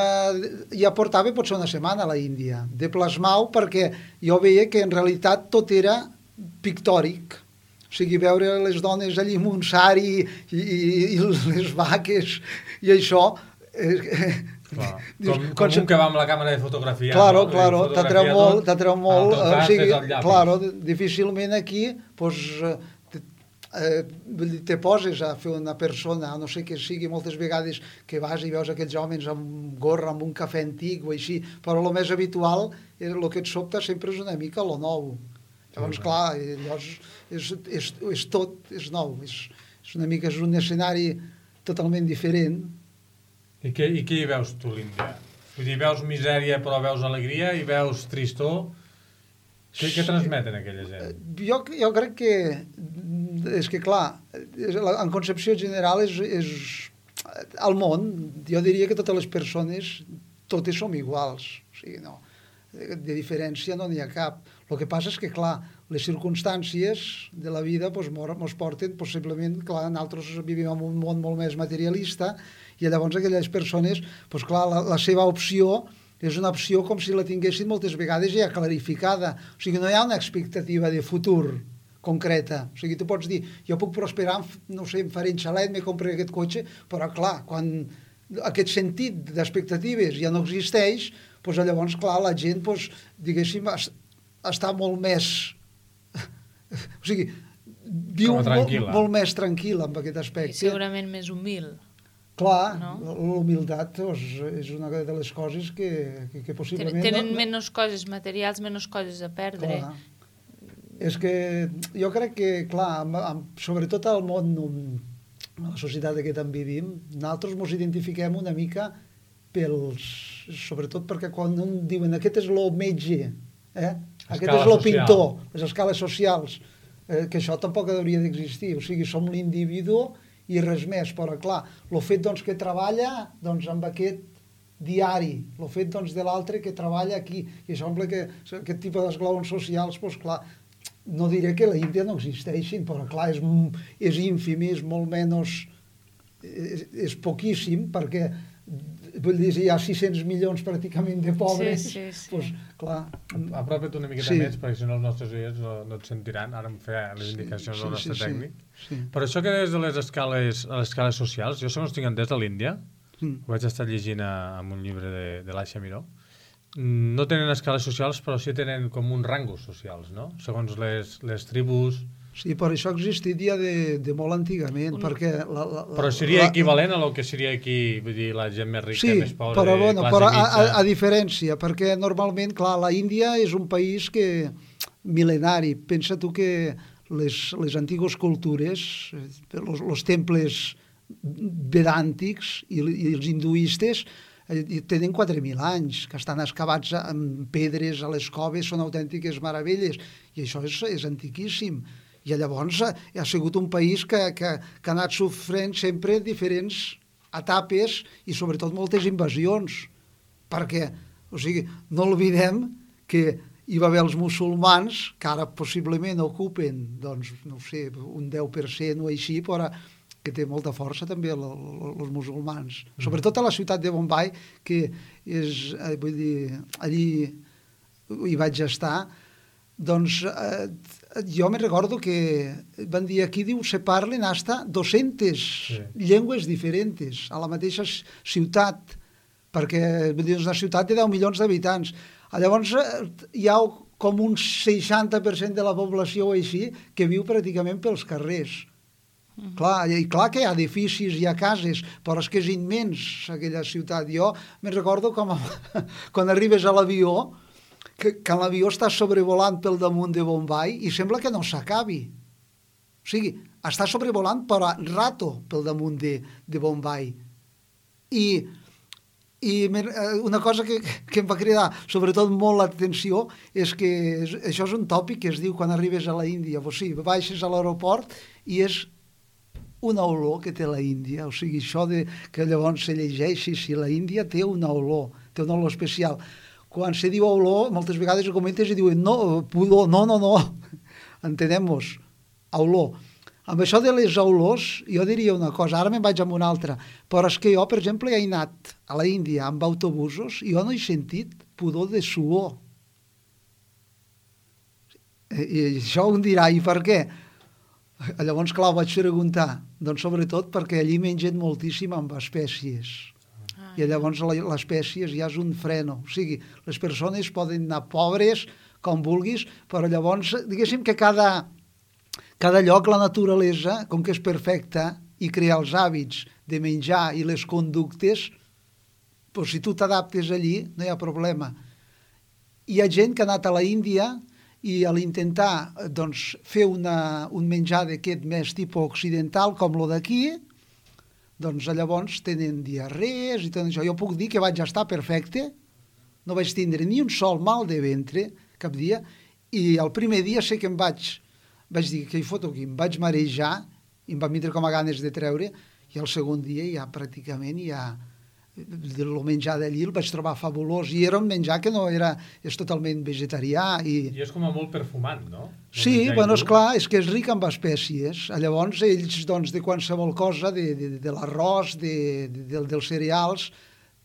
ja portava potser una setmana a la Índia, de plasmar-ho, perquè jo veia que en realitat tot era pictòric. O sigui, veure les dones allí amb un sari i les vaques i això... Com un que va amb la càmera de fotografia. Claro, t'atreu molt. O sigui, claro, difícilment aquí, doncs... te poses a fer una persona, no sé què sigui, moltes vegades que vas i veus aquells homes amb gorra, amb un cafè antic o així, però el més habitual, el que et sobta sempre és una mica lo nou. Llavors, clar, és tot, és nou, és una mica, és un escenari totalment diferent. I què hi veus tu, l'Índia? Vull dir, veus misèria però veus alegria i veus tristor? Què transmeten aquella gent? Jo crec que és que, clar, en concepció general és al món, jo diria que totes les persones, totes som iguals, o sigui, no, de diferència no n'hi ha cap. El que passa és que, clar, les circumstàncies de la vida ens porten, possiblement, clar, nosaltres vivim en un món molt més materialista, i llavors aquelles persones, doncs clar, la seva opció és una opció com si la tinguessin moltes vegades ja clarificada, o sigui, no hi ha una expectativa de futur concreta. O sigui, tu pots dir, jo puc prosperar, no sé, em faré un xalet, me compraré aquest cotxe, però clar, quan aquest sentit d'expectatives ja no existeix, doncs llavors, clar, la gent, doncs, diguéssim, està molt més... O sigui, viu molt més tranquil amb aquest aspecte. I segurament més humil. Clar, l'humilitat és una de les coses que possiblement... Tenen menys coses materials, menys coses a perdre. Clar. És que jo crec que, clar, sobretot al món, a la societat en què tant vivim, nosaltres ens identifiquem una mica sobretot perquè quan diuen aquest és el metge, aquest és el pintor, les escales socials, que això tampoc hauria d'existir. O sigui, som l'individu i res més, però clar, el fet doncs, que treballa doncs, amb aquest diari, el fet doncs, de l'altre que treballa aquí, i sembla que aquest tipus d'esglaons socials, doncs clar, no diré que a l'Índia no existeixin, però clar, és ínfim, és molt menys, és poquíssim, perquè vull dir, hi ha 600 milions pràcticament de pobres, doncs clar... Apropa't una miqueta més, perquè si no els nostres oients no et sentiran, ara em feia les indicacions del nostre tècnic. Però això que des de les escales socials, jo segons tinc entès a l'Índia, ho vaig estar llegint en un llibre de l'Aisha Miró, no tenen escales socials, però sí tenen com uns rangos socials, no? Segons les tribus, Sí, per això existiria de molt antigament, perquè... Però seria equivalent a lo que seria aquí, vull dir, la gent més rica, més pobra, però, bueno, classe però mitja. a diferència, perquè normalment, clar, la Índia és un país que mil·lenari. Pensa tu que les antigues cultures, els temples vedàntics i els hinduistes tenen 4.000 anys, que estan excavats amb pedres a les coves, són autèntiques meravelles, i això és antiquíssim. I llavors ha sigut un país que ha anat sofrent sempre diferents etapes i sobretot moltes invasions, perquè, o sigui, no oblidem que hi va haver els musulmans, que ara possiblement ocupen, doncs, no sé, un 10% o així, però que té molta força també els musulmans. Sobretot a la ciutat de Bombay, que és, vull dir, allí hi vaig estar, doncs jo me recordo que van dir aquí, diu, se parlen hasta 200 llengües diferents a la mateixa ciutat, perquè és una ciutat de 10 milions d'habitants. Llavors hi ha com un 60% de la població així que viu pràcticament pels carrers. Clar que hi ha edificis, hi ha cases, però és que és immens aquella ciutat. Jo me recordo com quan arribes a l'avió, que l'avió està sobrevolant pel damunt de Bombay i sembla que no s'acabi. O sigui, està sobrevolant però rato pel damunt de Bombay. I una cosa que em va cridar sobretot molt l'atenció és que això és un tòpic que es diu quan arribes a la Índia. O sigui, baixes a l'aeroport i és una olor que té la Índia. O sigui, això que llavors se llegeixi si la Índia té una olor especial. Quan se diu olor, moltes vegades ho comentes i diuen no, pudor, no, entenem-nos, olor. Amb això de les olors, jo diria una cosa, ara me'n vaig amb una altra, però és que jo, per exemple, he anat a la Índia amb autobusos i jo no he sentit pudor de suor. I això ho dirà, i per què? Llavors, clar, ho vaig preguntar, doncs sobretot perquè allí mengen moltíssim amb espècies. I llavors l'espècie ja és un freno. O sigui, les persones poden anar pobres, com vulguis, però llavors, diguéssim que cada lloc, la naturalesa, com que és perfecta, i crear els hàbits de menjar i les conductes, doncs si tu t'adaptes allí, no hi ha problema. Hi ha gent que ha anat a la Índia i a l'intentar doncs, fer un menjar d'aquest més tipus occidental, com lo d'aquí, doncs llavors tenen diarrees i tot això. Jo puc dir que vaig estar perfecte, no vaig tindre ni un sol mal de ventre cap dia, i el primer dia sé que vaig dir que hi foto aquí, em vaig marejar i em va vindre com a ganes de treure, i el segon dia ja pràcticament el menjar d'allí el vaig trobar fabulós, i era un menjar que no era, és totalment vegetarià. I és com a molt perfumant, no? Sí, bueno, esclar, és que és ric amb espècies. Llavors ells, doncs, de qualsevol cosa, de l'arròs, dels cereals,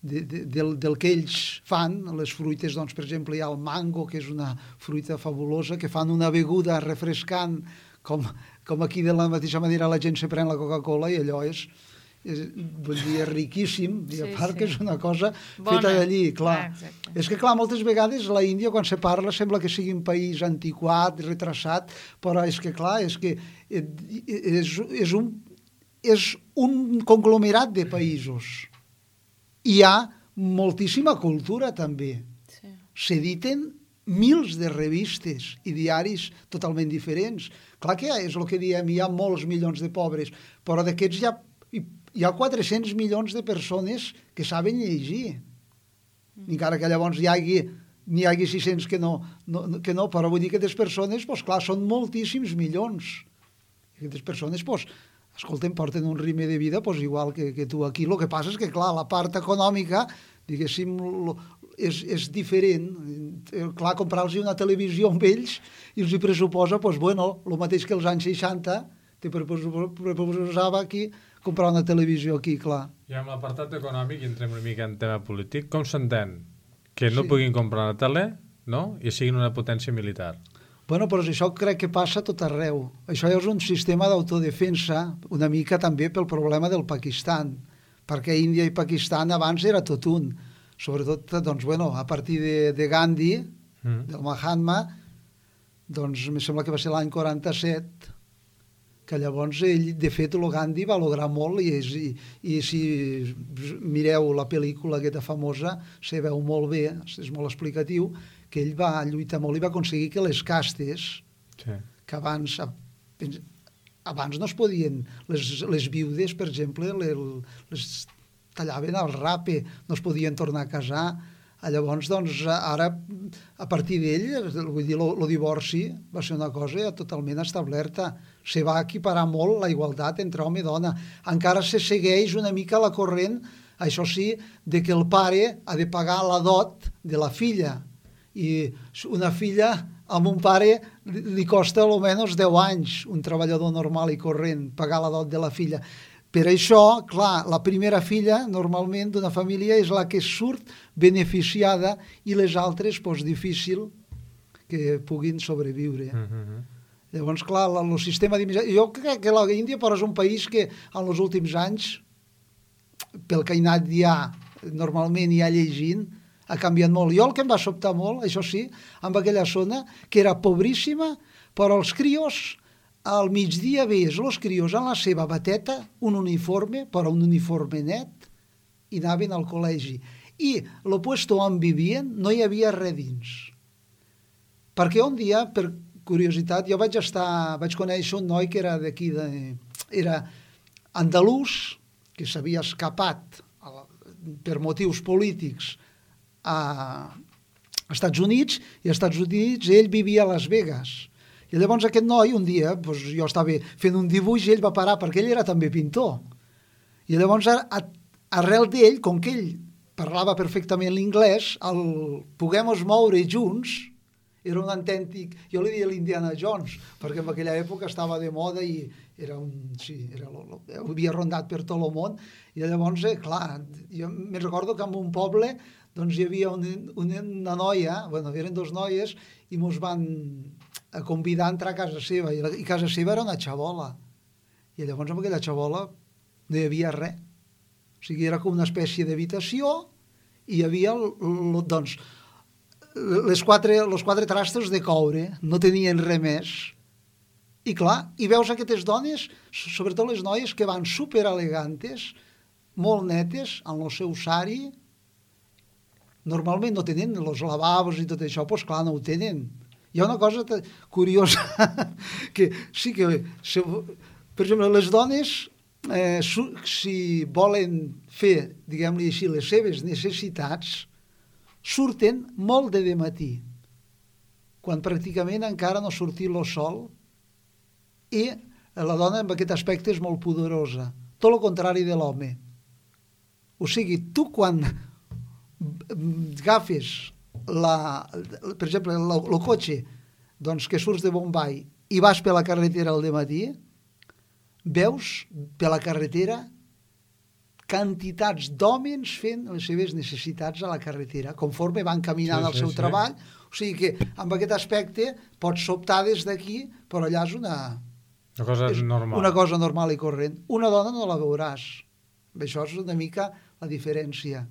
del que ells fan, les fruites, doncs, per exemple, hi ha el mango, que és una fruita fabulosa, que fan una beguda refrescant, com aquí de la mateixa manera la gent se pren la Coca-Cola, i allò és riquíssim, i a part que és una cosa feta d'allí, clar. És que, clar, moltes vegades la Índia, quan se parla, sembla que sigui un país antiquat, retrasat, però és que, clar, és que és un conglomerat de països. Hi ha moltíssima cultura, també. S'editen mils de revistes i diaris totalment diferents. Clar que és el que diem, hi ha molts milions de pobres, però d'aquests hi ha 400 milions de persones que saben llegir. Encara que llavors n'hi hagi 600 que no, però vull dir que aquestes persones, doncs clar, són moltíssims milions. Aquestes persones, doncs, escolten, porten un ritme de vida igual que tu aquí. El que passa és que, clar, la part econòmica, diguéssim, és diferent. Clar, comprar-los una televisió amb ells i els hi pressuposa, doncs, bueno, el mateix que els anys 60 te pressuposava aquí comprar una televisió aquí, clar. I amb l'apartat econòmic, i entrem una mica en tema polític, com s'entén? Que no puguin comprar una tele, no? I siguin una potència militar. Bueno, però això crec que passa a tot arreu. Això és un sistema d'autodefensa, una mica també pel problema del Pakistan, perquè Índia i Pakistan abans era tot un. Sobretot, doncs, bueno, a partir de Gandhi, del Mahatma, doncs, em sembla que va ser l'any 47, que llavors ell, de fet, el Gandhi va lograr molt i si mireu la pel·lícula aquesta famosa, se veu molt bé, és molt explicatiu, que ell va lluitar molt i va aconseguir que les castes, que abans no es podien, les viudes, per exemple, les tallaven al rape, no es podien tornar a casar. Llavors, doncs, ara, a partir d'ell, vull dir, el divorci va ser una cosa totalment establerta. Se va equiparar molt la igualtat entre home i dona. Encara se segueix una mica la corrent, això sí, de que el pare ha de pagar la dot de la filla. I una filla amb un pare li costa almenys 10 anys, un treballador normal i corrent, pagar la dot de la filla. Per això, clar, la primera filla, normalment, d'una família és la que surt beneficiada i les altres, doncs, difícil que puguin sobreviure. Llavors, clar, el sistema d'immigració... Jo crec que l'Índia és un país que en els últims anys, pel que he anat ja, normalment ja llegint, ha canviat molt. Jo el que em va sobtar molt, això sí, amb aquella zona, que era pobríssima, però els crios... Al migdia veies els crios en la seva bateta, un uniforme, però un uniforme net, i anaven al col·legi. I el puesto on vivien no hi havia res dins. Perquè un dia, per curiositat, jo vaig conèixer un noi que era d'aquí, era andalús, que s'havia escapat per motius polítics a Estats Units, i als Estats Units ell vivia a Las Vegas. I llavors aquest noi, un dia, doncs jo estava fent un dibuix i ell va parar, perquè ell era també pintor. I llavors, arrel d'ell, com que ell parlava perfectament l'inglès, el poguem-nos moure junts, era un autèntic, jo li deia l'Indiana Jones, perquè en aquella època estava de moda i era havia rondat per tot el món, i llavors, clar, jo me'n recordo que en un poble doncs hi havia una noia, bueno, eren dos noies, i mos van a convidar a entrar a casa seva, i casa seva era una xabola, i llavors amb aquella xabola no hi havia res, o sigui, era com una espècie d'habitació, i hi havia, doncs, els quatre trastos de coure, no tenien res més, i clar, i veus aquestes dones, sobretot les noies, que van superelegantes, molt netes, en el seu sari, normalment no tenen els lavabos i tot això, doncs clar, no ho tenen. Hi ha una cosa curiosa, que sí que, per exemple, les dones, si volen fer, diguem-li així, les seves necessitats, surten molt de matí, quan pràcticament encara no ha sortit el sol, i la dona en aquest aspecte és molt pudorosa, tot el contrari de l'home. O sigui, tu quan agafes per exemple, el cotxe doncs, que surts de Bombay i vas per la carretera al dematí, veus per la carretera quantitats d'homes fent les seves necessitats a la carretera, conforme van caminant al seu treball. O sigui que, amb aquest aspecte, pots sobtar des d'aquí, però allà és una cosa normal i corrent. Una dona no la veuràs. Això és una mica la diferència.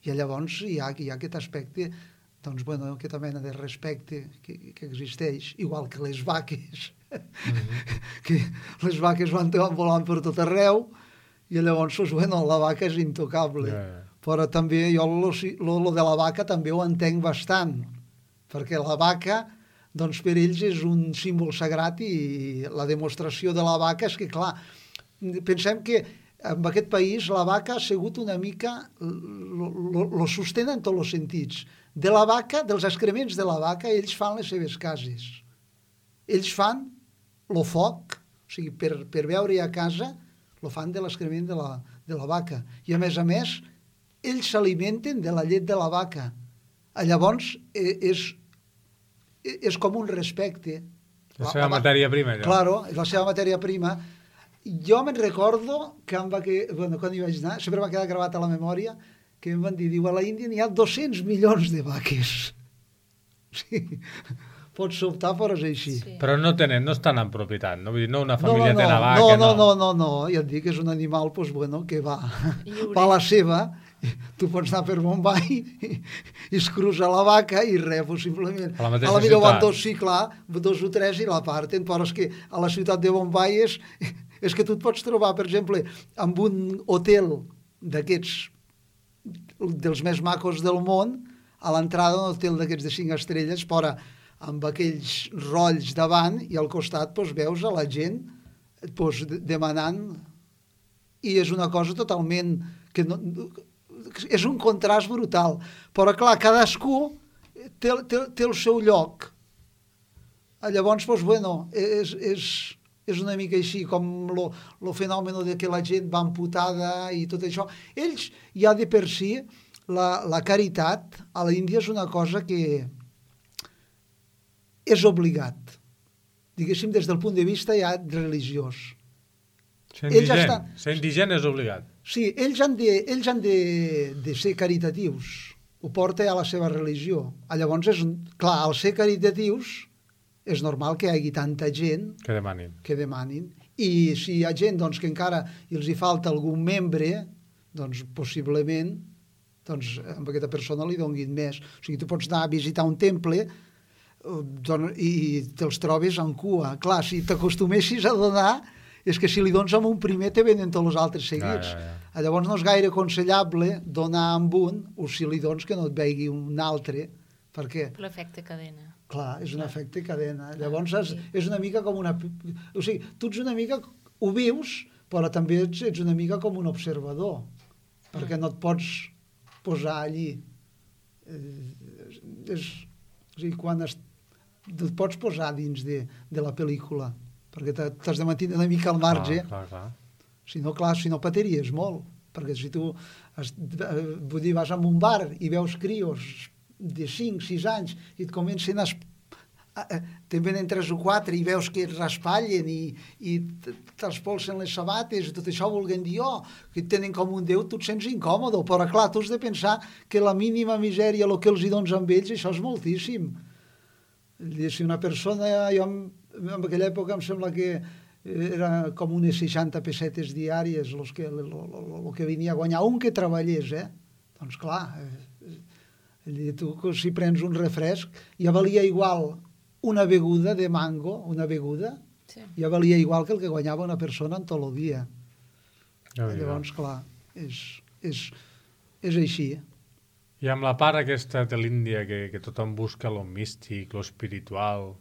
I llavors hi ha aquest aspecte, doncs, bueno, aquesta mena de respecte que existeix, igual que les vaques, que les vaques van volant per tot arreu, i llavors, bueno, la vaca és intocable. Però també jo lo de la vaca també ho entenc bastant, perquè la vaca, doncs, per ells és un símbol sagrat, i la demostració de la vaca és que, clar, pensem que en aquest país la vaca ha sigut una mica, lo sostenen en tots els sentits. De la vaca, dels excrements de la vaca, ells fan les seves cases. Ells fan el foc, o sigui, per veure a casa, lo fan de l'excrement de la vaca. I a més, ells s'alimenten de la llet de la vaca. Llavors, és com un respecte. La seva matèria prima, allò. Claro, és la seva matèria prima. Jo me'n recordo que quan hi vaig anar, sempre m'ha quedat gravat a la memòria, que em van dir, a la Índia n'hi ha 200 milions de vaques. Sí, pots sobtar, però és així. Sí. Però no estan en propietat, no? Vull dir, no una família té una vaca, no, ja et dic, és un animal, doncs, bueno, que va a la seva, tu pots anar per Bombay i es cruza la vaca i res, possiblement. A la mateixa la millor van ciutat. dos, sí, clar, 2 o 3 i la parten, però és que a la ciutat de Bombay és que tu et pots trobar, per exemple, amb un hotel d'aquests, dels més macos del món, a l'entrada d'un hotel d'aquests de 5 estrelles, però amb aquells rolls davant i al costat doncs, veus a la gent doncs, demanant, i és una cosa totalment que no, és un contrast brutal, però clar, cadascú té el seu lloc. Llavors, doncs, bueno, és una mica així com lo fenomen de que la gent va amputada i tot això. Ells ja de per si, la caritat a l'Índia és una cosa que és obligat, diguéssim, des del punt de vista ja religiós. Ser indigent és obligat. Sí, ells han de ser caritatius. Ho porta a la seva religió. Llavors, clar, al ser caritatius, és normal que hi hagi tanta gent Que demanin. I si hi ha gent doncs, que encara els hi falta algun membre, doncs possiblement doncs, amb aquesta persona li donguin més. O sigui, tu pots anar a visitar un temple i te'ls trobes en cua. Clar, si t'acostumessis a donar, és que si li dones amb un primer te venen tots els altres seguits. Llavors no és gaire aconsellable donar amb un, o si li dones que no et vegi un altre, perquè... L'efecte cadena. Clar, és un efecte cadena. Llavors és una mica com una... O sigui, tu ets una mica... Ho vius, però també ets una mica com un observador, perquè no et pots posar allí. O sigui, quan et pots posar dins de la pel·lícula, perquè t'has de mantenir una mica al marge. Clar. Si no, pateiries molt, perquè si tu vull dir, vas a un bar i veus crios de 5, 6 anys i et comencen te'n venen 3 o 4 i veus que es raspallen i t'espolsen les sabates i tot això volguem dir, que tenen com un déu, tu et sents incòmode, però clar, tu has de pensar que la mínima misèria, el que els hi dones amb ells, això és moltíssim. Si una persona, jo en aquella època em sembla que era com unes 60 pessetes diàries el que venia a guanyar un que treballés, doncs clar, tu si prens un refresc ja valia igual una beguda de mango, ja valia igual que el que guanyava una persona en tot el dia. Llavors, clar, és així. I amb la part aquesta de l'Índia que tothom busca lo místic, lo espiritual,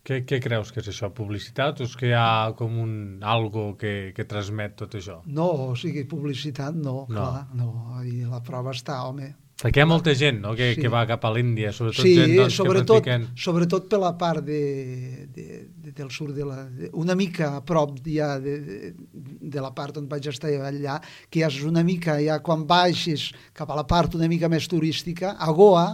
què creus que és això? Publicitat o és que hi ha com algo que transmet tot això? No, o sigui, publicitat no, clar, no. I la prova està, home. Perquè hi ha molta gent, no?, que va cap a l'Índia, sobretot sí, gent doncs, que practiquen... sobretot per la part del sud, una mica a prop ja de la part on vaig estar allà, que ja és una mica, ja quan baixes cap a la part una mica més turística, a Goa,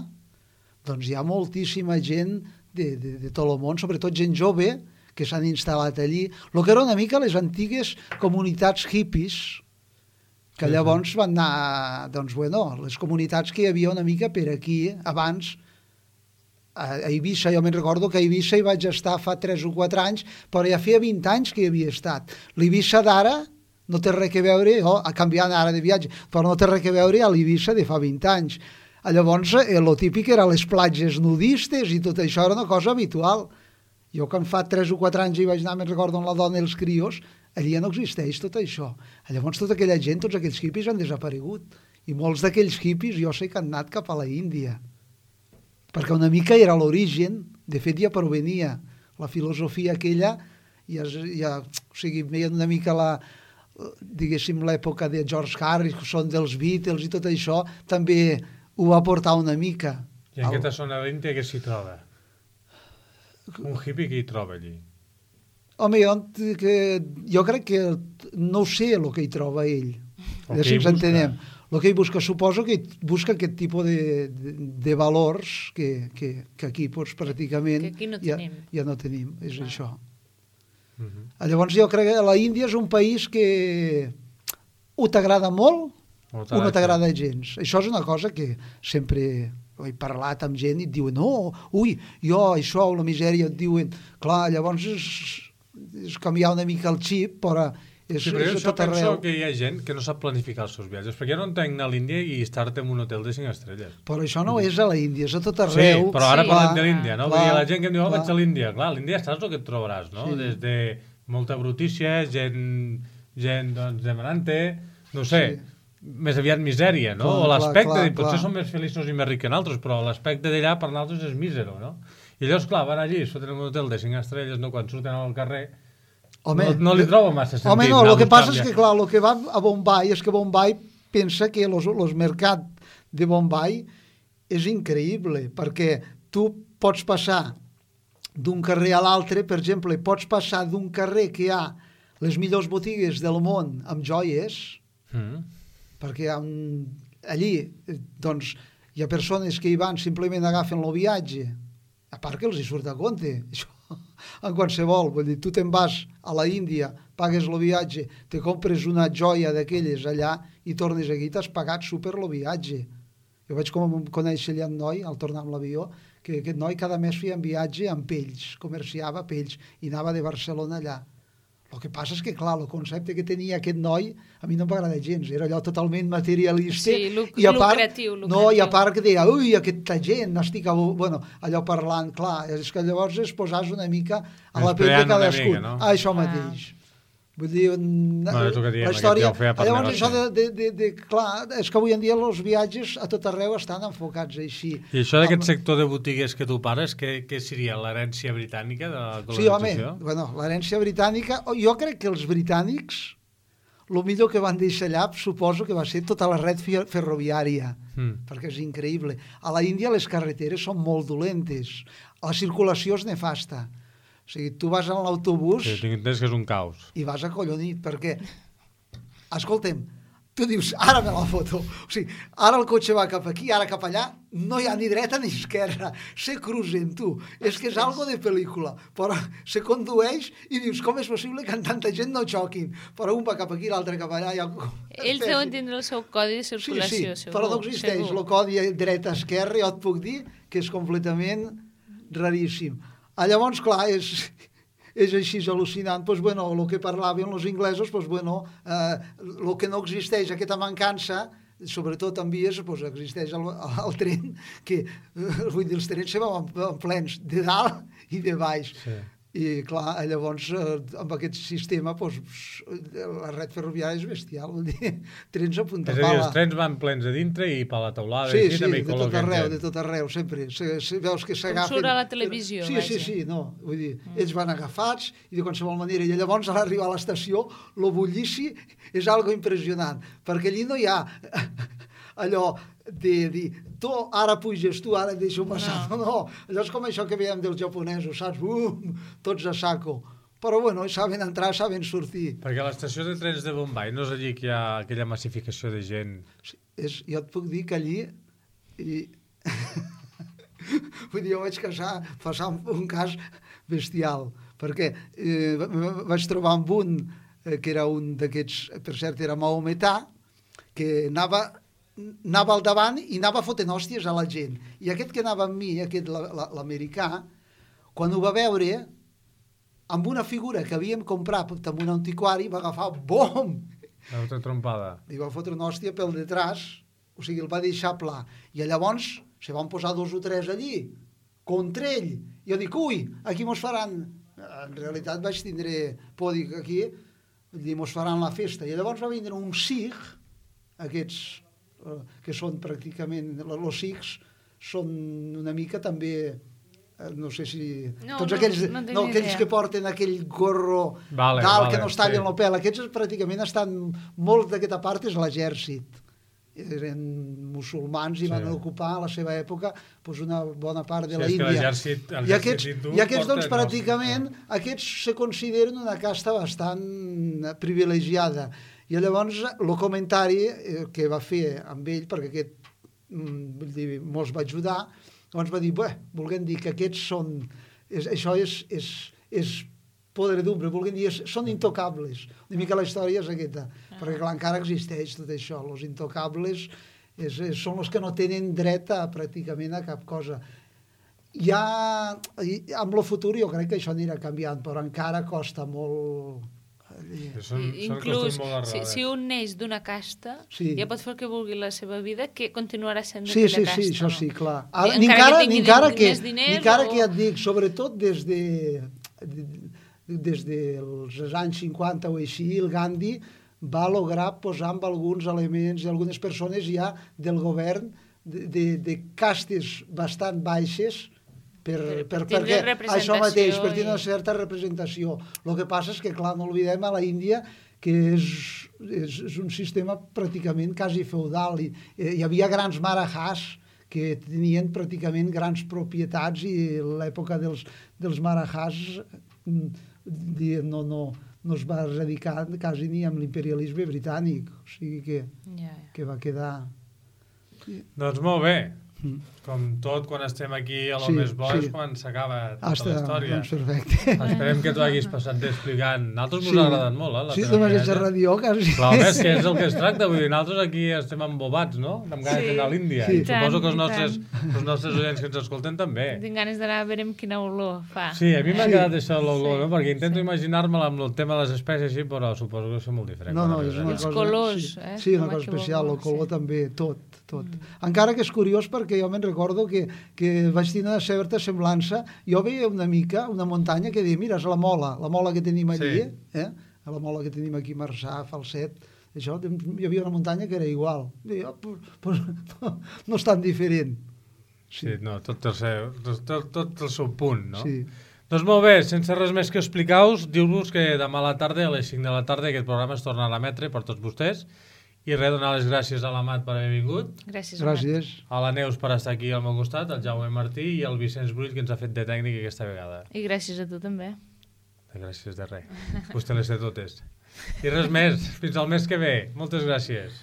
doncs hi ha moltíssima gent de tot el món, sobretot gent jove, que s'han instal·lat allí. El que era una mica les antigues comunitats hippies, que llavors van anar, doncs, bueno, les comunitats que hi havia una mica per aquí, abans, a Eivissa, jo me'n recordo que a Eivissa hi vaig estar fa 3 o 4 anys, però ja feia 20 anys que hi havia estat. L'Eivissa d'ara no té res a veure, canviant ara de viatge, però no té res a veure a l'Eivissa de fa 20 anys. Llavors, el típic era les platges nudistes i tot això era una cosa habitual. Jo, quan fa 3 o 4 anys hi vaig anar, me'n recordo, amb la dona i els crios, allà ja no existeix tot això. Llavors tota aquella gent, tots aquells hippies han desaparegut. I molts d'aquells hippies jo sé que han anat cap a la Índia. Perquè una mica era l'origen, de fet ja provenia la filosofia aquella, o sigui, veien una mica diguéssim, l'època de George Harrison, dels Beatles i tot això, també ho va portar una mica. I en aquesta zona de l'Índia què s'hi troba? Un hippie que hi troba allí? Home, jo crec que no sé el que hi troba ell. Si ens entenem. El que ell busca, suposo que busca aquest tipus de valors que aquí doncs, pràcticament que aquí no tenim. Ja no tenim, és això. Llavors jo crec que la Índia és un país que o t'agrada molt o no t'agrada gens. Això és una cosa que sempre he parlat amb gent i et diuen jo, això, la misèria, et diuen, clar, llavors és canviar una mica el xip, però Sí, però jo penso que hi ha gent que no sap planificar els seus viatges, perquè jo no entenc anar a l'Índia i estar-te en un hotel de 5 estrelles. Però això no és a l'Índia, és a tot arreu. Sí, però ara parlem de l'Índia, no? Vull dir, la gent que em diu, vaig a l'Índia. Clar, a l'Índia saps el que et trobaràs, no? Des de molta brutícia, gent doncs, demanant-te, no sé, més aviat misèria, no? O l'aspecte, potser són més feliços i més rics que nosaltres, però l'aspecte d'allà per nosaltres és mísero, no? I llavors, clar, van allí, es foten en un hotel de 5 estrelles, no? Quan surten al carrer, no li trobo massa sentit. Home, no, el que passa és que, clar, el que va a Bombay és que Bombay pensa que el mercat de Bombay és increïble, perquè tu pots passar d'un carrer a l'altre, per exemple, pots passar d'un carrer que hi ha les millors botigues del món amb joies, perquè allí doncs, hi ha persones que hi van, simplement agafen el viatge, a part que els hi surt a compte, això, en qualsevol, vull dir, tu te'n vas a la Índia, pagues el viatge, te compres una joia d'aquelles allà i tornes aquí, t'has pagat super el viatge. Jo vaig conèixer allà un noi, al tornar amb l'avió, que aquest noi cada mes feia un viatge amb pells, comerciava pells, i anava de Barcelona allà. El que passa és que, clar, el concepte que tenia aquest noi a mi no m'agrada gens, era allò totalment materialista. Sí, lucratiu. No, i a part que deia, ui, aquesta gent, estic allò parlant, clar, és que llavors es posàs una mica a la pell de cadascú. No? Això mateix. Vull dir, la història... Llavors això clar, és que avui en dia els viatges a tot arreu estan enfocats així. I això d'aquest sector de botigues que tu pares, què seria l'herència britànica de la colonització? Sí, home, l'herència britànica, jo crec que els britànics, el millor que van deixar allà, suposo que va ser tota la red ferroviària, perquè és increïble. A la Índia les carreteres són molt dolentes, la circulació és nefasta. O sigui, tu vas en l'autobús... Sí, tinc entès que és un caos. I vas acollonit, perquè... Escolta'm, tu dius, ara me la foto. O sigui, ara el cotxe va cap aquí, ara cap allà, no hi ha ni dreta ni esquerra. Se cruzen, tu. És que és algo de pel·lícula. Però se condueix i dius, com és possible que tanta gent no xoquin? Però un va cap aquí, l'altre cap allà... Ells deuen tindre el seu codi de circulació, segur. Però no existeix el codi dreta-esquerra, jo et puc dir que és completament raríssim. Llavors, clar, és així al·lucinant. Doncs, bueno, el que parlaven els inglesos, doncs, bueno, el que no existeix, aquesta mancança, sobretot en vies, doncs, existeix el tren, que, vull dir, els trens se van plens de dalt i de baix. Sí. I, clar, llavors, amb aquest sistema, doncs, la red ferroviària és bestial, vull dir, trens a punta pala. És a dir, els trens van plens a dintre i per la teulada. Sí, de tot arreu, sempre. Veus que s'agafen... Com surt a la televisió, Sí, no, vull dir, ells van agafats i de qualsevol manera, i llavors a l'arribar a l'estació, lo bullici és algo impressionant, perquè allí no hi ha allò de dir, tu ara puges, tu ara et deixo passar. No, allò és com això que veiem dels japonesos, saps? Tots a saco. Però, bueno, saben entrar, saben sortir. Perquè a l'estació de trens de Bombay no és allí que hi ha aquella massificació de gent? Jo et puc dir que allí... Vull dir, jo vaig passar un cas bestial, perquè vaig trobar amb un, que era un d'aquests, per cert, era maometà, que anava al davant i anava fotent hòsties a la gent. I aquest que anava amb mi, aquest l'americà, quan ho va veure, amb una figura que havíem comprat en un antiquari, va agafar, bom! Va fotre trompada. I va fotre una hòstia pel detrás, o sigui, el va deixar pla. I llavors se van posar 2 o 3 allí, contra ell. Jo dic, ui, aquí mos faran... En realitat vaig tindre por, dic, aquí, mos faran la festa. I llavors va vindre un sikh, aquests... que són pràcticament, els sikhs són una mica també, no sé si... Tots aquells que porten aquell gorro dalt que no es tallen el pèl, aquests pràcticament estan, molt d'aquesta part és l'exèrcit. Eren musulmans i van ocupar a la seva època una bona part de la Índia. I aquests, doncs, pràcticament, aquests se consideren una casta bastant privilegiada. I llavors el comentari que va fer amb ell, perquè aquest mos va ajudar, llavors va dir, volguem dir que aquests són, això és podredumbre, volguem dir, són intocables. Una mica la història és aquesta, perquè clar, encara existeix tot això, els intocables són els que no tenen dret pràcticament a cap cosa. Ja, amb el futur jo crec que això anirà canviant, però encara costa molt Són Inclús, costums molt arrelades. si un neix d'una casta, Sí. ja pot fer el que vulgui la seva vida, que continuarà sent Sí, d'aquella casta. això no? sí, clar. Encara Ni que encara, tingui ni encara més diners que ja et dic, sobretot des dels anys 50 o així, el Gandhi va lograr posar amb alguns elements i algunes persones ja del govern de castes bastant baixes perquè això mateix, per tenir una certa representació. El que passa és que, clar, no oblidem a la Índia que és un sistema pràcticament quasi feudal. Hi havia grans marahas que tenien pràcticament grans propietats i l'època dels marahas no es va erradicar quasi ni amb l'imperialisme britànic. O sigui que va quedar... Doncs molt bé. Com tot, quan estem aquí a lo més bo és quan s'acaba tota la història. Doncs perfecte. Esperem que t'ho hagis passat bé explicant. Nosaltres mos ha agradat molt, Sí, només és ràdio, quasi. Clar, és que és el que es tracta. Vull dir, nosaltres aquí estem embobats, no? Amb ganes d'anar a l'Índia. Sí. I suposo que els nostres oients que ens escolten també. Tinc ganes d'anar a veure quina olor fa. Sí, a mi m'ha quedat això l'olor, no? Perquè intento imaginar-me'l amb el tema de les espècies així, però suposo que és molt diferent. No, és una Els cosa... colors, Sí, una cosa especial, el color també, tot. Encara que és curiós perquè jo me'n recordo que vaig tenir una certa semblança. Jo veia una mica, una muntanya que deia, mira, és la mola que tenim allí, la mola que tenim aquí a Marçà, Falset, això, hi havia una muntanya que era igual. Deia, no és tan diferent. Sí, no, tot el seu punt, no? Sí. Doncs molt bé, sense res més que explicar-vos, diu-vos que demà a la tarda, a les 5 de la tarda, aquest programa es tornarà a emetre per tots vostès. I res, donar les gràcies a l'Amat per haver vingut. Gràcies. A la Neus per estar aquí al meu costat, al Jaume Martí i al Vicenç Brull, que ens ha fet de tècnic aquesta vegada. I gràcies a tu també. Gràcies de res. Vostè les té totes. I res més, fins al mes que ve. Moltes gràcies.